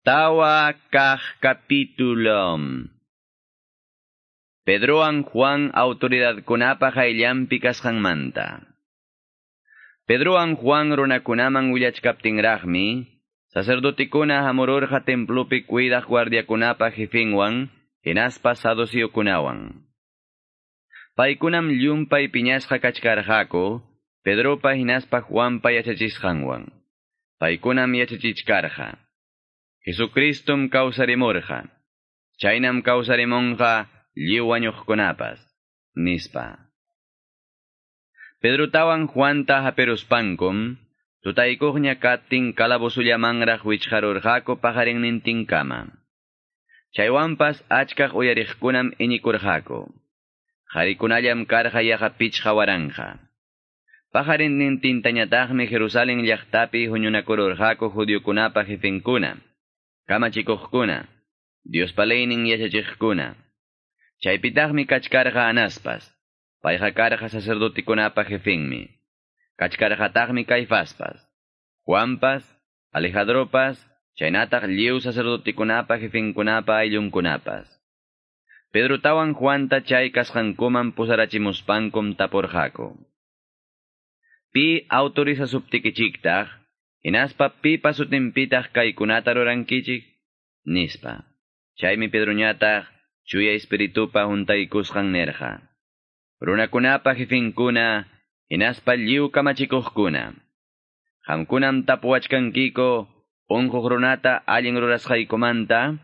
Tawa kaq capítulo. Pedrowan Juan autoridadkunapa qayllanpi kasqanmanta. Pedrowan Juan runakunaman willachkaptinraqmi, sacerdotikuna hamururqa templopi cuidaq guardiakunapa jefinwan, hinaspa saduceokunawan. Paykunam llumpay piñasqa kachkarqaku, Pedropa hinaspa Juanpa yachachisqanwan. Paykunam yachachichkarqa. Jesucristum kawsarimurqa. Chaynam kawsarimunqa lliw wañuqkunapas, nispa. Pedrotawan Juanta haperuspankum, tutaykuqña katin calabozullamanraq wichqarurqaku paqarinnintinkama. Chaywanpas achkaq uyariqkunam iñikurqaku. Qharikunallam karqa yaqa 5000. Paqarinnintintañataqmi Jerusalén llaqtapi huñunakururqaku judiokunapa jefenkuna, kamachikuqkuna, Diospa leynin yachachiqkuna. Chaypitaqmi kachkarqa Anaspas, payqa karqa sacerdotikunapa jefenmi. Kachkarqataqmi Caifaspas, Juanpas, Alejandropas, chaynataq lliw sacerdotikunapa jefenkunapa ayllunkunapas. Pedrotawan Juanta chay kasqankuman pusarachimuspankum tapurqaku. Pi autorizasuptikichiktaq, hinaspa pipa sutinpitaq kaykunata rurankichik, nispa. Chaymi Pedroñataq chuya espiritupa huntaykusqan nerqa. Runakunapa jefenkuna, hinaspa lliw kamachikuqkuna. Qamkunam tapuwachkankiko unquq runata allin rurasqaykumanta,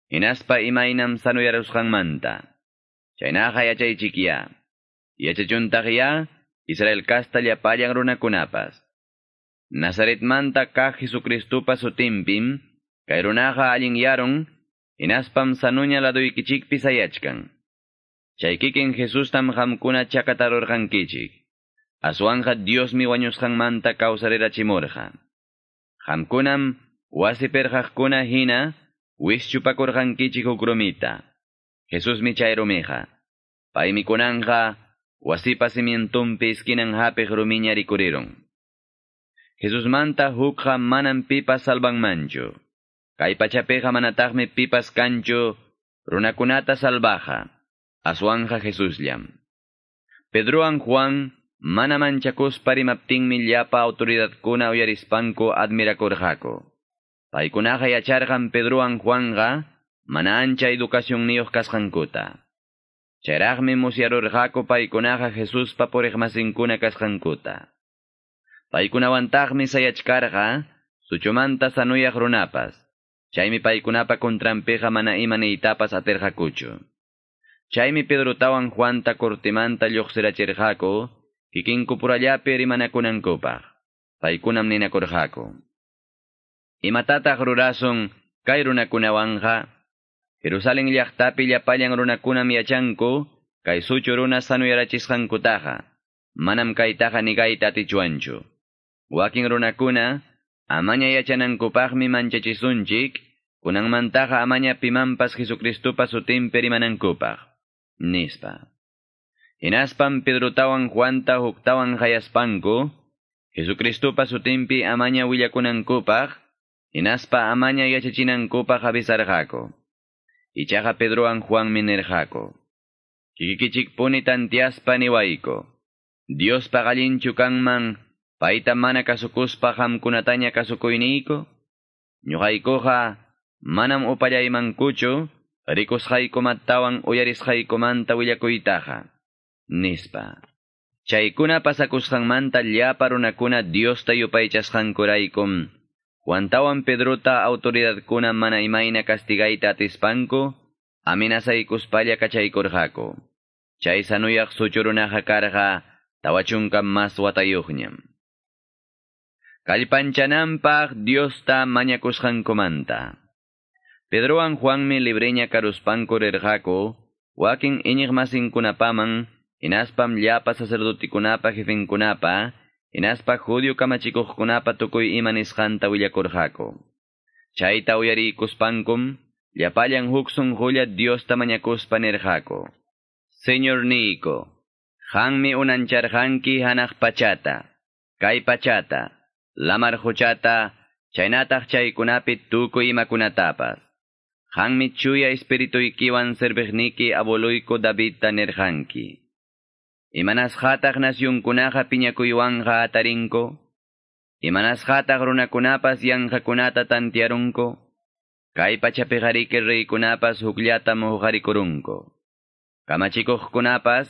hinaspa imaynam sanuyarusqanmanta. Chaynaqa yachaychikya. Yachachuntaqya Israel kasta llapallan runakunapas. Nazaretmanta kaq Jesucristupa sutinpim, kay runaqa allinyarun, hinaspam sanuña laduykichikpi sayachkan. Chay kikin Jesustam qamkuna chakatarurqankichik. Aswanqa Diosmi wañusqanmanta kawsarirachimurqa. Qamkunam wasi perqaqkuna hina wischupakurqankichik huk rumita. Jesusmi chay rumiqa. Paymi kunanqa wasipa cimientunpi esquinan hapiq rumiña rikurirun. Jesusmanta hukqa manam pipas salvanmanchu. Kay pachapiqa manataqmi pipas kanchu runakunata salvaja. Aswanja Jesusllam. Pedrowan Juan mana manchakuspa rimaptinmi llapa autoridadkuna uyarispanku admirakurqaku. Paykunaqa yacharqan Pedrowan Juanqa mana ancha educacionniyuq kasqankuta. Chayraqmi musyarurqaku paykunaqa Jesuspa puriqmasinkuna kasqankuta. Paykunawantaqmi sayachkarqa suchumanta sanuyaq runapas. Chaymi paykunapa contranpiqa mana ima niytapas atirqakuchu. Chaymi Pedrotawan Juanta cortimanta lluqsirachirqaku, kikinkupurallapi rimanakunankupaq. Paykunam ninakurqaku. Imatataq rurasun kay runakunawanqa? Jerusalén llaqtapi llapallan runakunam yachanku, kay suchu runa sanuyarachisqankutaqa. Manam kaytaqa nigayta atichwanchu. Wakin runakuna, amaña yachanankupaqmi manchachisunchik, kunanmantaqa amaña pimanpas Jesucristupa sutinpi rimanankupaq, nispa. Hinaspam Pedrotawan Juanta huktawan qayaspanku, Jesucristupa sutinpi amaña willakunankupaq, hinaspa amaña yachachinankupaq avisarqaku. Ichaqa Pedrowan Juanmi nirqaku. Kikikichikpuni tantiaspa niwayku. Diospa allinchu kanman, payta mana kasukuspa qamkunataña kasukuyniyku? Ñuqaykuqa manam upallaymankuchu rikusqaykumantawan uyarisqaykumanta willakuytaqa, nispa. Chaykuna pasakusqanmanta llapa runakuna Diosta yupaychasqankuraykum, Juantawan Pedrota autoridadkuna mana imayna castigayta atispanku, amenazaykuspalla kachaykurqaku. Chay sanuyaq suchu runaqa karqa 40 mas watayuqñam. Kallpanchananpaq Diosta mañakusqankumanta. Pedrowan Juanmi libreña karuspanku rirqaku, wakin iñiqmasinkunapaman, hinaspam llapa sacerdotikunapa jefenkunapa, hinaspa judio kamachikuqkunapa tukuy ima nisqanta willakurqaku. Chayta uyarikuspankum, llapallan huk sunqulla Diosta mañakuspa nirqaku. Señor niyku, qanmi unancharqanki hanaq pachata, kay pachata, lamar quchata, Chaynataq chaykunapi tukuy imakunatapas. Qanmi chuya espirituykiwan serviqniki abueluyku Davidta nirqanki. Imanasqataq nasyunkunaqa piñakuywanqa atarinko? Imanasqataq runakunapas yanqakunata tantiarunko? Kay pachapiqariki reykunapas hukllatam huqarikurunku. Kamachikuqkunapas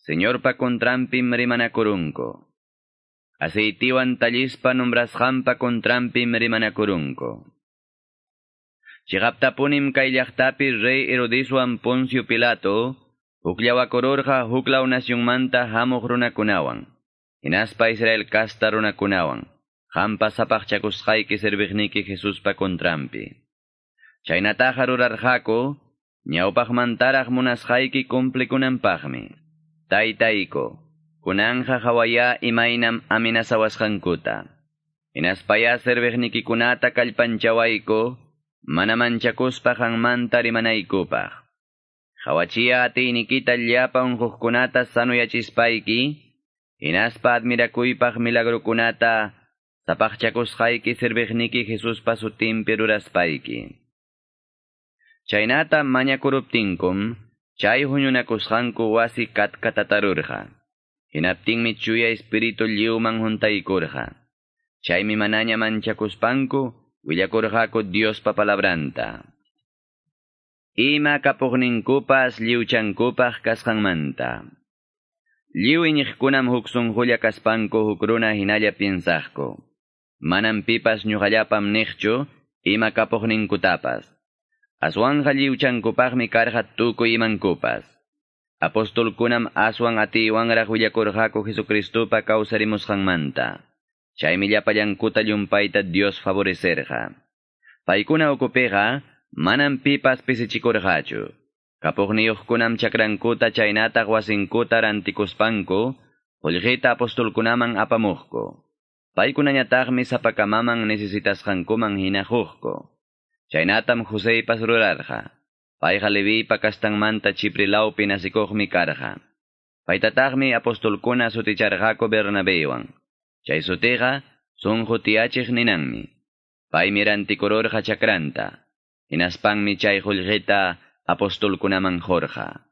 Señorpa contranpim rimanakurunku. Aceitiwan tallispa nombrasqanpa contranpim rimanakurunku. Chiqaptapunim kay llaqtapi rey Herodeswan Poncio Pilato hukllawakururqa huklaw nasyunmanta hamuq runakunawan. Hinaspa Israel kasta runakunawan. Qampa sapaqchakusqayki serviqniki Jesuspa contranpi. Chaynataqa rurarqaku, ñawpaqmantaraq munasqayki cumplikunanpaqmi. Taytayku, kunanja hawaya imaynam amenazawasqankuta. Hinaspaya serviqnikikunata kallpanchawayku, mana manchakuspa qanmanta rimanaykupaq. Hawachiya atiynikita llapa unquqkunata sanuyachispayki, hinaspa admirakuypaq milagrukunata sapaqchakusqayki serviqniki Jesuspa sutinpi ruraspayki. Chaynata mañakuruptinkum, chay huñunakusqanku wasi katkatatarurqa. Hinaptinmi chuya espíritu lliwman huntaykurqa. Chaymi manaña manchakuspanku, willakurqaku Diospa palabranta. Ima kapuqninkupas lliwchankupaq kasqanmanta. Lliw iñiqkunam huk sunqulla kaspanku huk runa hinalla piensaqku. Manam pipas ñuqallapam niqchu ima kapuqninkutapas. Aswanja lliwchankupaqmi karqa tukuy imankupas. Apostolkunam aswan atiywanraq willakurqaku Jesucristupa kawsarimusqanmanta. Chaymi llapallankuta llumpayta Dios favorecerqa. Paykuna ukupiqa manam pipas pisichikurqachu. Kapuqniyuqkunam chakrankuta chaynataq wasinkuta rantikuspanku, qullqita apostolkunaman apamuqku. Paykunañataqmi sapakamaman necesitasqankuman hina huqku. Chaynatam Joseypas rurarqa. Payqa Leviypa kastanmanta Chipre lawpi nasikuqmi karqa. Paytataqmi apostolkuna suticharqaku Bernabeywan. Chay sutiqa sunqu tiyachiq ninanmi. Paymi rantikururqa chakranta. Hinaspanmi chay qullqita apostolkunaman qurqa.